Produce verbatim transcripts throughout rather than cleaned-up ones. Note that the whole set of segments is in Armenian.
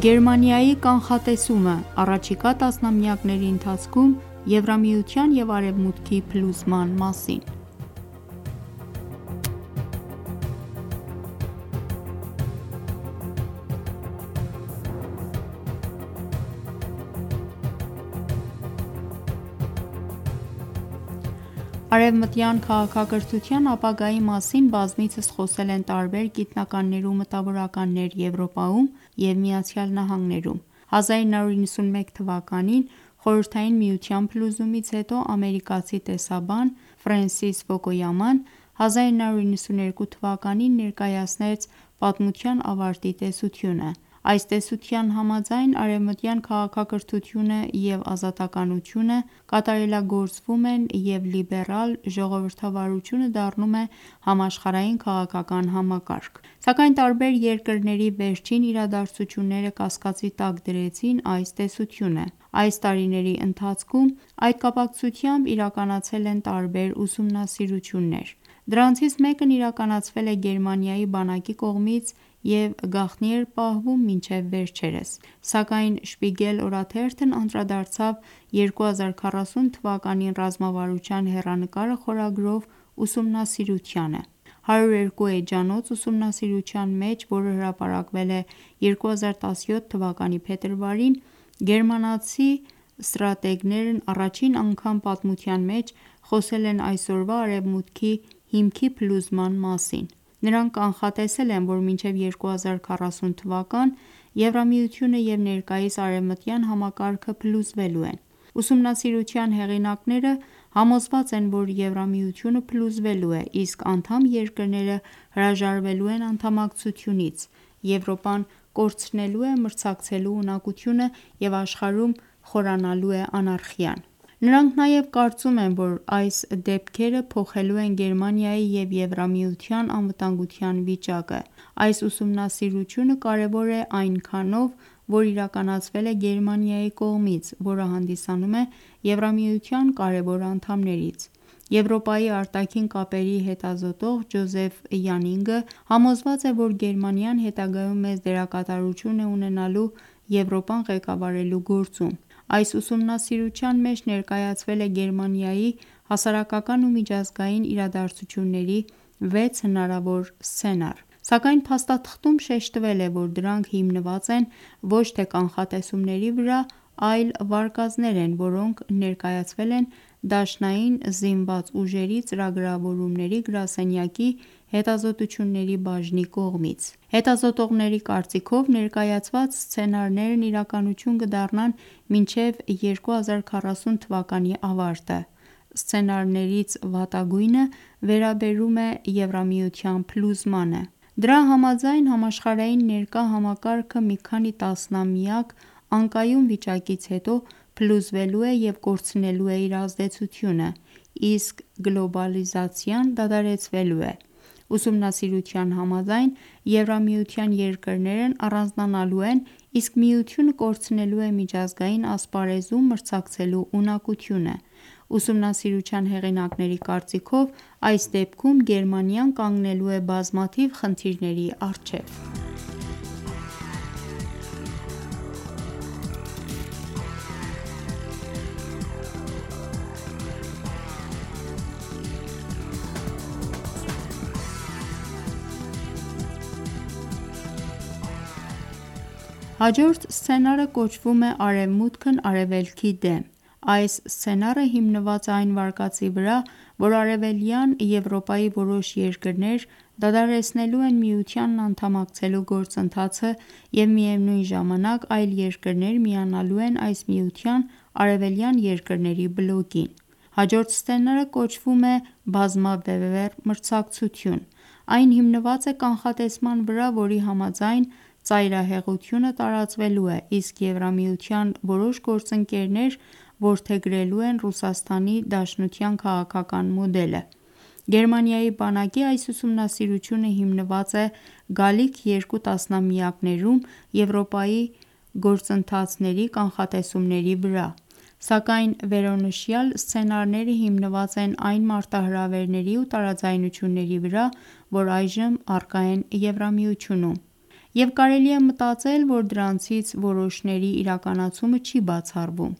Գերմանիայի կանխատեսումը՝ առաջիկա տասնամյակների ընթացքում Եվրամիության և Արևմուտքի փլուզման մասին։ Արևմտյան քաղաքակրթության ապագայի մասին բազմիցս խոսել են տարբեր գիտնականներ ու մտավորականներ Եվրոպայում և ԱՄՆ-ում: հազար նոր նվեցունմեկ թվականին Խորհրդային Միության փլուզումից հետո ամերիկացի տեսաբան Ֆրենսիս Ֆուկույաման հազար նոր նվեցուներկու թվականին ներկայացնեց «Պատմության ավարտի» տեսությունը: Այս տեսության համաձայն արևմտյան քաղաքակրթությունը և ազատականությունը կատարելագործվում են և լիբերալ ժողովրդավարությունը դառնում է համաշխարհային քաղաքական համակարգ: Սակայն տարբեր երկրների վերջին իրադարձությունները կասկածի տակ դրեցին այս տեսությունը: Այս տարիների ընթացքում այդ կապակցությամբ իրականացել են տարբեր ուսումնասիրություններ: Դրանցից մեկն իրականացվել է Գերմանիայի բանակի կողմից և գաղտնի էր պահվում մինչև վերջերս: Սակայն «Շպիգել» օրաթերթն անդրադարձավ երկու հազար քառասուն թվականին ռազմավարության հեռանկարը խորագրով ուսումնասիրությանը: հարյուր երկու էջանոց ուսումնասիրության մեջ, որը հրապարակվել է երկու հազար տասնյոթ թվականի փետրվարին, գերմանացի ստրատեգներն առաջին անգամ պատմության մեջ խոսել են այսօրվա Արևմուտքի հիմքի փլուզման մասին: Նրանք կանխատեսել են, որ մինչև երկու հազար քառասուն թվական Եվրամիությունը և ներկայիս արևմտյան համակարգը փլուզվելու են: Ուսումնասիրության հեղինակները համոզված են, որ Եվրամիությունը փլուզվելու է, իսկ անդամ երկրները հրաժարվելու են անդամակցությունից: Եվրոպան կորցնելու է մրցակցելու ունակությունը և աշխարհում խորանալու է անարխիան: Նրանք նաև կարծում են, որ այս դեպքերը փոխելու են Գերմանիայի և Եվրամիության անվտանգության վիճակը: Այս ուսումնասիրությունը կարևոր է այնքանով, որ իրականացվել է Գերմանիայի կողմից, որը հանդիսանում է Եվրամիության կարևոր անդամներից: Եվրոպայի արտաքին կապերի հետազոտող Ջոզեֆ Յանինգը համոզված է, որ Գերմանիան հետագայում մեծ դերակատարություն է ունենալու Եվրոպան ղեկավարելու գործում: Այս ուսումնասիրության մեջ ներկայացվել է Գերմանիայի հասարակական ու միջազգային իրադարձությունների վեց հնարավոր սցենար: Սակայն փաստաթղթում շեշտվել է, որ դրանք հիմնված են ոչ թե կանխատեսումների վրա, այլ վարկածներ են, որոնք ներկայացվել են Դաշնային զինված ուժերի ծրագրավորումների գրասենյակի հետազոտությունների բաժնի կողմից: Հետազոտողների կարծիքով ներկայացված սցենարներն իրականություն կդառնան մինչև երկու հազար քառասուն թվականի ավարտը: Սցենարներից վատագույնը վերաբերում է Եվրամիության փլուզմանը: Դրա համաձայն համաշխարհային ներկա համակարգը մի քանի տասնամյակ անկայուն վիճակից հետո փլուզվելու է և կորցնելու է իր ազդեցությունը, իսկ գլոբալիզացիան դադարեցվելու է: Ուսումնասիրության համաձայն Եվրամիության երկրներն առանձնանալու են, իսկ Միությունը կորցնելու է միջազգային ասպարեզում մրցակցելու ունակությունը: Ուսումնասիրության հեղինակների կարծիքով այս դեպքում Գերմանիան կանգնելու է բազմաթիվ խնդիրների առջև: Հաջորդ սցենարը կոչվում է «Արևմուտքն Արևելքի դեմ»: Այս սցենարը հիմնված է այն վարկածի վրա, որ Արևելյան Եվրոպայի որոշ երկրներ դադարեցնելու են Միությանն անդամակցելու գործընթացը և միևնույն ժամանակ այլ երկրներ միանալու են այս միության արևելյան երկրների բլոկին: Հաջորդ սցենարը կոչվում է «Բազմաբևեռ մրցակցություն»: Այն հիմնված է կանխատեսման վրա, որի համաձայն ծայրահեղությունը տարածվելու է, իսկ Եվրամիության որոշ գործընկերներ որդեգրելու են Ռուսաստանի Դաշնության քաղաքական մոդելը: Գերմանիայի բանակի այս ուսումնասիրությունը հիմնված է գալիք երկու տասնամյակներում Եվրոպայի գործընթացների կանխատեսումների վրա: Սակայն վերոնշյալ սցենարները հիմնված են այն մարտահրավերների ու տարաձայնությունների վրա, որ այժմ առկա են Եվրամիությունում: և կարելի է մտածել, որ դրանցից որոշների իրականացումը չի բացառվում։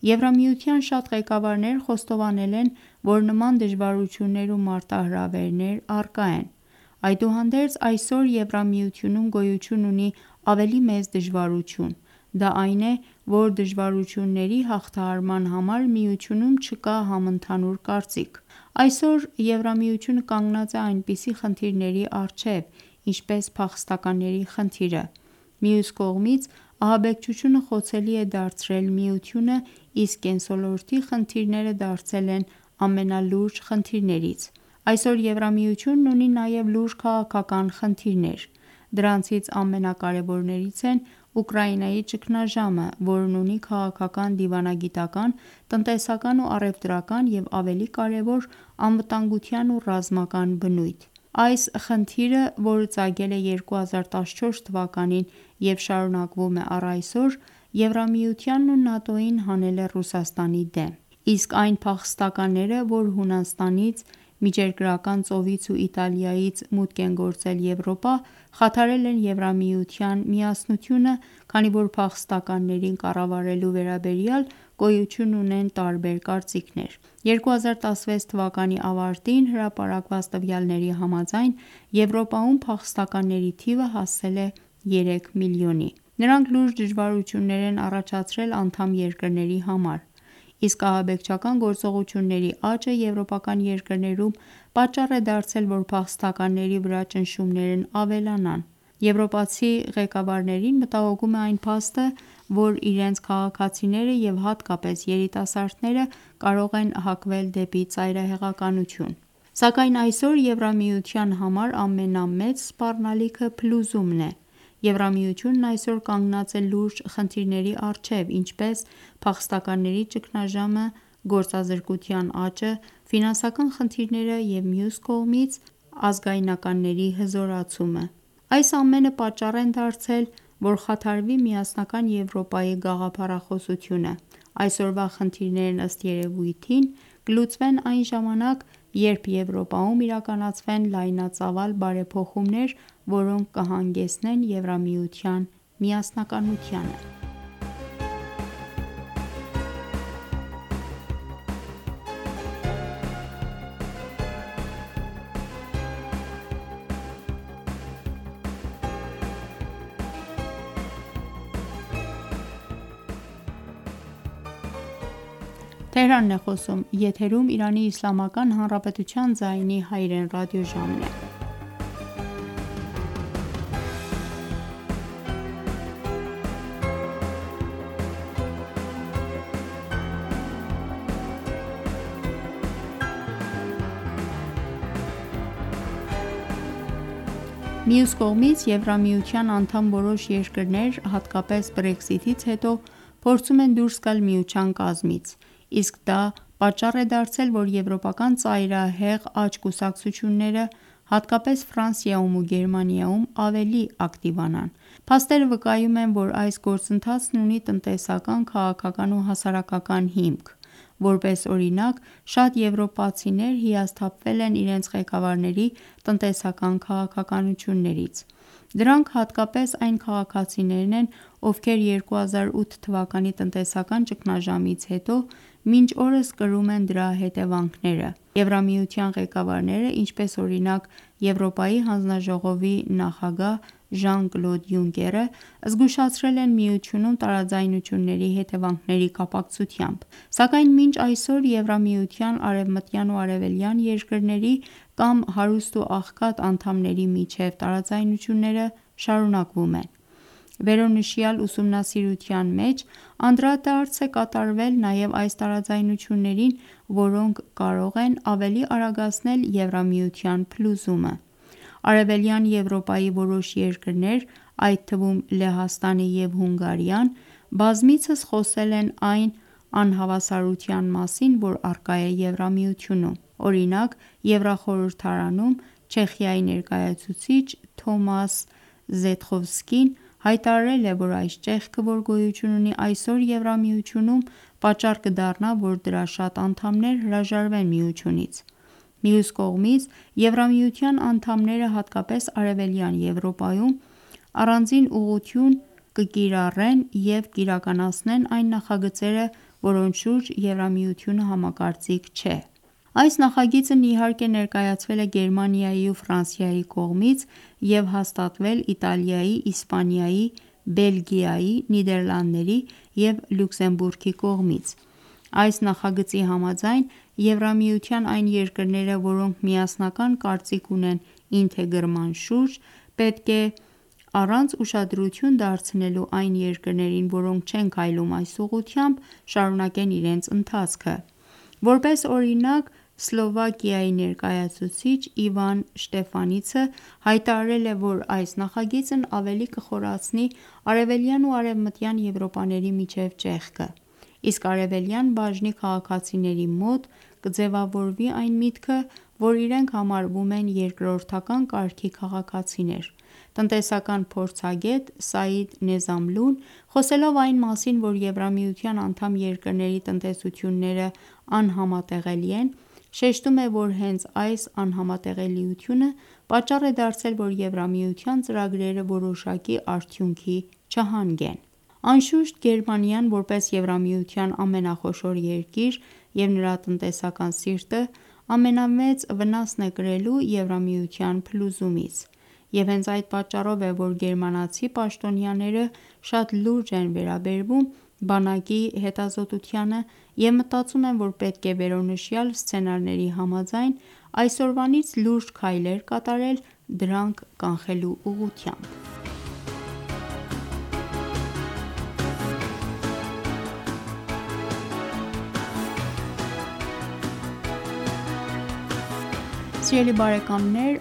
Եվրամիության շատ ղեկավարներ խոստովանել են, որ նման դժվարություններ ու մարտահրավերներ առկա են։ Այդուհանդերձ, այսօր Եվրամիությունում գոյություն ունի ավելի մեծ դժվարություն: Դա այն է, որ դժվարությունների հաղթահարման համար միությունում չկա համընդհանուր կարծիք։ Այսօր Եվրամիությունը կանգնած է այնպիսի խնդիրների առջև, ինչպես փախստականների խնդիրը: Մյուս կողմից, ահաբեկչությունը խոցելի է դարձրել միությունը, իսկ կենսոլորտի խնդիրները դարձել են ամենալուրջ խնդիրներից։ Այսօր Եվրամիությունն ունի նաև լուրջ քաղաքական խնդիրներ: Դրանցից ամենակարևորներից են Ուկրաինայի ճգնաժամը, որն ունի քաղաքական, դիվանագիտական, տնտեսական ու առևտրական և ավելի կարևոր, անվտանգության ու ռազմական բնույթ: Այս խնդիրը, որը ծագել է երկու հազար տասնչորս թվականին և շարունակվում է առ այսօր, Եվրամիությանն ու ՆԱՏՕ-ին հանել է Ռուսաստանի դեմ: Իսկ այն փախստականները, որ Հունաստանից, Միջերկրական ծովից ու Իտալիայից մուտք են գործել Եվրոպա, խաթարել են Եվրամիության միասնությունը, քանի որ փախստականներին կառավարելու վերաբերյալ գոյություն ունեն տարբեր կարծիքներ: երկու հազար տասնվեց թվականի ավարտին հրապարակված տվյալների համաձայն, Եվրոպայում փախստականների թիվը հասել է երեք միլիոնի: Նրանք լուրջ դժվարություններ են առաջացրել անդամ երկրների համար: Իսկ ահաբեկչական գործողությունների աճը եվրոպական երկրներում պատճառ է դարձել, որ փախստականների վրա ճնշումներն ավելանան: Եվրոպացի ղեկավարներին մտահոգում է այն փաստը, որ իրենց քաղաքացիները և հատկապես երիտասարդները կարող են հակվել դեպի ծայրահեղականություն: Սակայն այսօր Եվրամիության համար ամենամեծ սպառնալիքը փլուզումն է: Եվրամիությունն այսօր կանգնած է լուրջ խնդիրների առջև, ինչպես փախստականների ճգնաժամը, գործազրկության աճը, ֆինանսական խնդիրները և մյուս կողմից ազգայնականների հզորացումը: Այս ամենը պատճառ են դարձել, որ խաթարվի միասնական Եվրոպայի գաղափարախոսությունը: Այսօրվա խնդիրներն ըստ երևույթին կլուծվեն այն ժամանակ, երբ Եվրոպայում իրականացվեն լայնածավալ բարեփոխումներ, որոնք կհանգեցնեն Եվրամիության միասնականությանը: Մյուս կողմից, Եվրամիության անդամ որոշ երկրներ, հատկապես Brexit-ից հետո, փորձում են դուրս գալ միության կազմից: Իսկ դա պատճառ է դարձել, որ եվրոպական ծայրահեղ աջ կուսակցությունները, հատկապես Ֆրանսիայում ու Գերմանիայում, ավելի ակտիվանան: Փաստերը վկայում են, որ այս գործընթացն ունի տնտեսական, քաղաքական ու հասարակական հիմք: Որպես օրինակ, շատ եվրոպացիներ հիասթափվել են իրենց ղեկավարների տնտեսական քաղաքականություններից: Դրանք հատկապես այն քաղաքացիներն են, ովքեր երկու հազար ութ թվականի տնտեսական ճգնաժամից հետո մինչ օրս կրում են դրա հետևանքները: Եվրամիության ղեկավարները, ինչպես օրինակ Եվրոպայի հանձնաժողովի նախագահ Ժան-Կլոդ Յունկերը, զգուշացրել են միությունում տարաձայնությունների հետևանքների կապակցությամբ: Սակայն մինչ այսօր Եվրամիության արևմտյան ու արևելյան երկրների կամ հարուստ ու աղքատ անդամների միջև տարաձայնությունները շարունակվում են: Վերոնշյալ ուսումնասիրության մեջ անդրադարձ է կատարվել նաև այս տարաձայնություններին, որոնք կարող են ավելի արագացնել Եվրամիության փլուզումը: Արևելյան Եվրոպայի որոշ երկրներ, այդ թվում Լեհաստանը և Հունգարիան, բազմիցս խոսել են այն անհավասարության մասին, որ առկա է Եվրամիությունում: Օրինակ, Եվրախորհրդարանում Չեխիայի ներկայացուցիչ Թոմաս Զետխովսկին հայտարարել է, որ այս ճեղքը, որ գոյություն ունի այսօր Եվրամիությունում, պատճառ կդառնա, որ դրա շատ անդամներ հրաժարվեն միությունից: Մյուս կողմից, Եվրամիության անդամները, հատկապես Արևելյան Եվրոպայում, առանձին ուղղություն կկիրառեն և կիրականացնեն այն նախագծերը, որոնց շուրջ Եվրամիությունը համակարծիք չէ: Այս նախագիծն իհարկե ներկայացվել է Գերմանիայի ու Ֆրանսիայի կողմից և հաստատվել Իտալիայի, Իսպանիայի, Բելգիայի, Նիդերլանդների և Լյուքսեմբուրգի կողմից: Այս նախագծի համաձայն, Եվրամիության այն երկրները, որոնք միասնական կարծիք ունեն ինտեգրման շուրջ, պետք է առանց ուշադրություն դարձնելու այն երկրներին, որոնք չեն քայլում այս ուղղությամբ, շարունակեն իրենց ընթացքը: Որպես օրինակ, Սլովակիայի ներկայացուցիչ Իվան Շտեֆանիցը հայտարարել է, որ այս նախագիծն ավելի կխորացնի արևելյան ու արևմտյան Եվրոպաների միջև ճեղքը: Իսկ արևելյան բաժնի քաղաքացիների մոտ կձևավորվի այն միտքը, որ իրենք համարվում են երկրորդական կարգի քաղաքացիներ: Տնտեսական փորձագետ Սաիդ Նեզամլուն, խոսելով այն մասին, որ Եվրամիության անդամ երկրների տնտեսությունները անհամատեղելի են, շեշտում է, որ հենց այս անհամատեղելիությունը պատճառ է դարձել, որ Եվրամիության ծրագրերը որոշակի արդյունքի չհանգեն: Անշուշտ, Գերմանիան, որպես Եվրամիության ամենախոշոր երկիր և նրա տնտեսական սիրտը, ամենամեծ վնասն է կրելու Եվրամիության փլուզումից: Եվ հենց այդ պատճառով է, որ գերմանացի պաշտոնյաները շատ լուրջ են վերաբերվում բանակի հետազոտությանը և մտածում են, որ պետք է վերոնշյալ սցենարների համաձայն, այսօրվանից լուրջ քայլեր կատարել դրանք կանխելու ուղղությամբ: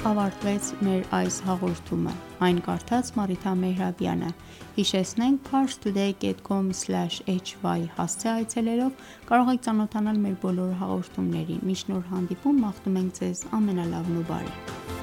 Ավարտվեց մեր այս հաղորդումը: Այն կարդաց Մարիթա Մեհրաբյանը: Հիշեցնենք Parstoday dot com slash h y հասցե այցելելով կարող եք ծանոթանալ մեր բոլոր հաղորդումներին: Մինչ նոր հանդիպում մաղթում ենք Ձեզ ամենալավն ու բարին: